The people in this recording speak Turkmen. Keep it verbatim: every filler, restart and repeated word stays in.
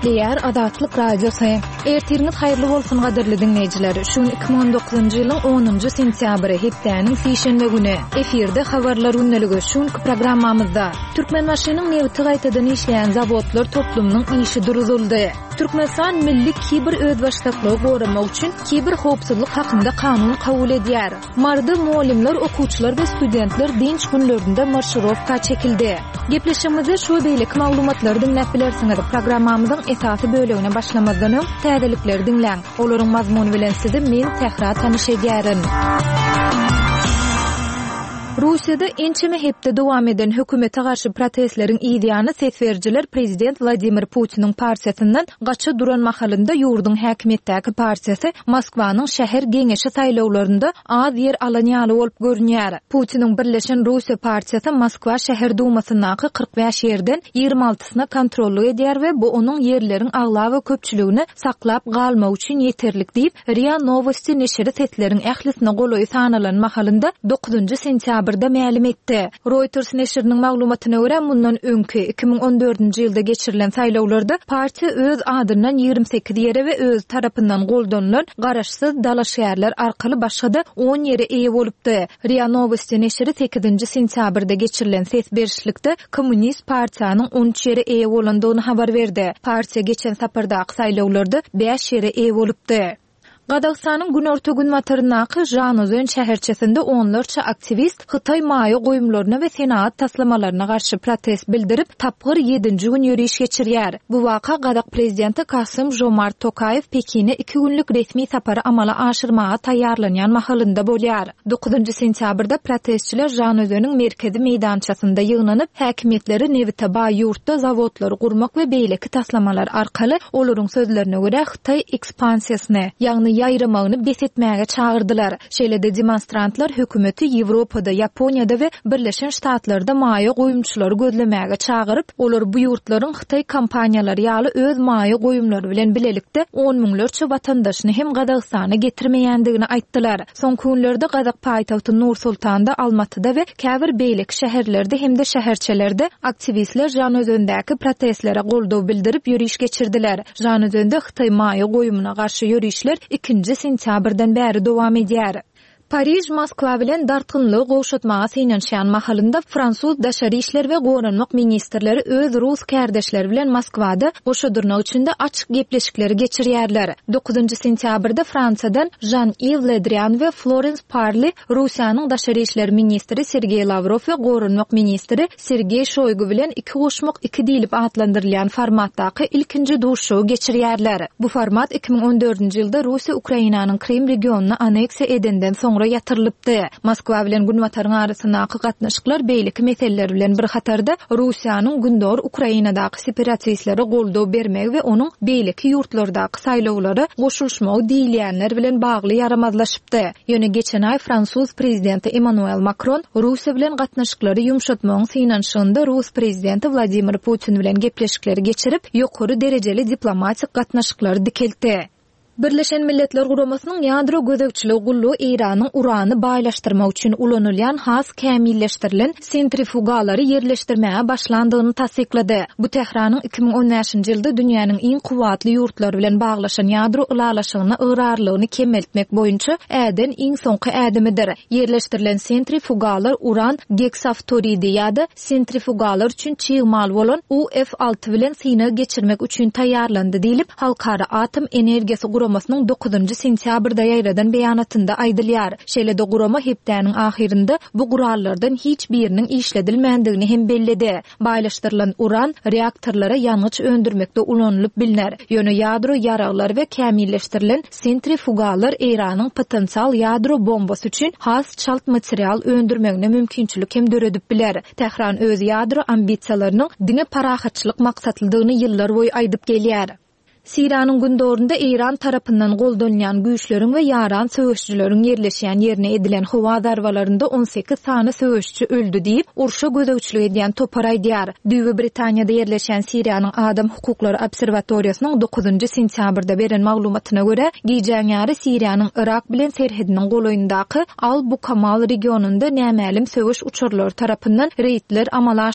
Gepleýär Azatlyk Radiosy. Ertiriňiz haýyrly bolsun gadyrly diňleýjiler. Şu gün iki müň on dokuzynjy ýylyň onunjy sentýabry, hepdäniň sişenbe güni. Efirde habarlar gündeligi. Şu günki programmamyzda Türkmenbaşynyň nebiti gaýtadan işleýän zawodlar toplumynyň işi duruzyldy. Türkmenistan milli kiber özbaşdaklygy goramak üçin kiber howpsuzlyk hakynda kanun kabul edýär. Maryda mugallymlar, okuwçylar we studentler dynç günlerinde marşirowka çekildi. Gepleşigimizde şu we beýleki maglumatlary diňläp bilersiňiz. Programmamyzyň esasy bölegine başlamazdan öň täzelikleri diňläň. Olaryň mazmuny bilen sizi men Sähra tanyş edýärin. Russiýada ençeme hepde dowam eden hökümete garşy protestleriň yz ýany ses berijiler prezident Wladimir Putiniň partiýasyndan gaça duran mahalynda ýurduň häkimiýetdäki partiýasy Moskwanyň şäher geňeşi saýlawlarynda az ýer alan ýaly bolup görünýär. Putiniň Birleşen Russiýa partiýasy Moskwa şäher dumasyndaky kyrk bäş ýerden ýigrimi altysyna kontrollyk edýär we bu onuň ýerleriň aglaba köpçüligini saklap galmak üçin ýeterlik diýip, RIA Nowosti neşiri sesleriň ählisine golaýy sanalan mahalynda dokuzynjy sentýabrda mälim etdi. Reuters neşiriniň maglumatyna görä, mundan öňki, iki müň on dördünji ýylda geçirilen saýlawlarda partiýa öz adyndan ýigrimi sekiz ýere we özi tarapyndan goldanylan garaşsyz dalaşgärler arkaly başga-da on ýere eýe bolupdy. RIA Nowosti neşiri sekizinji sentýabrda geçirilen ses berişlikde Kommunist partiýanyň on üç ýere eýe bolandygyny habar berdi. Partiýa geçen sapardaky saýlawlarda bäş ýere eýe bolupdy. Gazagystanyň günorta-günbataryndaky Žanozön şäherçesinde onlarça aktiwist Hytaý maýa goýumlaryna we senagat taslamalaryna garşy protest bildirip, tapgyr ýedinji gün ýöriş geçirýär. Bu waka gazak prezidenti Kasym-Žomart Tokaýew Pekine iki günlük resmi sapary amala aşyrmaga taýýarlanýan mahalynda bolýar. Dokuzynjy sentýabrda protestçiler Žanozöniň merkezi meýdançasynda ýygnanyp, häkimiýetleri nebite baý ýurtda zawodlary gurmak we beýleki taslamalar arkaly, olaryň sözlerine görä, Hytaý ekspansiýasyny, ýagny ýaýramagyny bes etmäge çagyrdylar. Şeýle-de demonstrantlar hökümeti Ýewropada, Ýaponiýada we Birleşen Ştatlarda maýa goýumçylary gözlemäge çagyryp, olar bu ýurtlaryň Hytaý kompaniýalary ýaly öz maýa goýumlary bilen bilelikde on müňlerçe watandaşyny hem Gazagystana getirmeýändigini aýtdylar. Soňky günlerde gazak paýtagty Nur-Sultanda, Almatyda we käbir beýleki şäherlerde hem-de şäherçelerde aktiwistler Žanözendäki protestlere goldaw bildirip ýöriş geçirdiler. Žanözende Hytaý maýa goýumyna garşy ýörişler ikinji sentýabrdan bäri dowam edýär. Pariž Moskwa bilen dartgynlygy gowşatmaga synanyşýan mahalynda fransuz daşary işler we goranmak ministrleri öz rus kärdeşleri bilen Moskwada goşa dyrnak içinde açyk gepleşikleri geçirýärler. Dokuzynjy sentýabrda Fransiýadan Žan-Iw Le Drian we Florens Parli Russiýanyň daşary işler ministri Sergeý Lawrow we goranmak ministri Sergeý Şoýgu bilen iki goşmak iki diýlip atlandyrylýan formatdaky ilkinji duşuşygy geçirýärler. Bu format iki müň on dördünji ýylda Russiýa Ukrainanyň Krym regionyny aneksiýa edenden soňra ýatyrylypdy. Moskwa bilen Günbataryň arasyndaky gatnaşyklar beýleki meseleler bilen bir hatarda Russiýanyň Gündogar Ukrainadaky separatistlere goldaw bermegi we onuň beýleki ýurtlardaky saýlawlara goşulyşmagy diýilýänler bilen bagly ýaramazlaşypdy. Ýöne geçen aý fransuz prezidenti Emmanuel Makron Russiýa bilen gatnaşyklary ýumşatmagyň synanyşygynda rus prezidenti Wladimir Putin bilen gepleşikleri geçirip, ýokary derejeli diplomatik gatnaşyklary dikeltdi. Birleşen Milletler Guramasynyň ýadro gözegçiligi gullugy Eýranyň urany baýlaşdyrmak üçin ulanylýan has kämilleşdirilen sentrifugalary ýerleşdirmäge başlandygyny tassyklady. Bu Tähranyň iki müň on bäşinji ýylda dünýäniň iň kuwwatly ýurtlary bilen baglaşan ýadro ylalaşygyna ygrarlygyny kemeltmek boýunça äden iň soňky ädimidir. Ýerleşdirilen sentrifugalar uran geksaftoridi ýa-da sentrifugalar üçin çig mal bolan U F alty bilen synag geçirmek üçin taýýarlandy diýlip, Halkara atom energiýasy guramasynyň dokuzynjy sentýabrda ýaýradan beýanatynda aýdylýar. Şeýle-de gurama hepdäniň ahyrynda bu gurallardan hiç biriniň işledilmändigini hem belledi. Baýlaşdyrylan uran reaktorlara ýangyç öndürmekde ulanylyp bilner. Ýöne ýadro ýaraglar we kämilleşdirilen sentrifugalar Eýranyň potensial ýadro bombasy üçin has çalt material öndürmegine mümkinçilik hem döredip biler. Tähran öz ýadro ambisiýalarynyň diňe parahatçylyk maksatlydygyny ýyllar boýy aýdyp gelýär. Siriýanyň gündogunda Eýran tarapyndan goldanýan güýçleriň we ýaran söweşçileriň ýerleşýän ýerine edilen howa zarbalarynda on sekiz sany söweşçi öldi diýip, urşa gözegçilik edýän topar aýdýar. Düýbi Britaniýada ýerleşýän Siriýanyň Adam hukuklary obserwatoriýasynyň dokuzynjy sentýabrda beren maglumatyna görä, gijäň ýary Siriýanyň Yrak bilen serhediniň golaýyndaky Al-Bukamal regionynda nämälim söweş uçarlary tarapyndan reýdler amala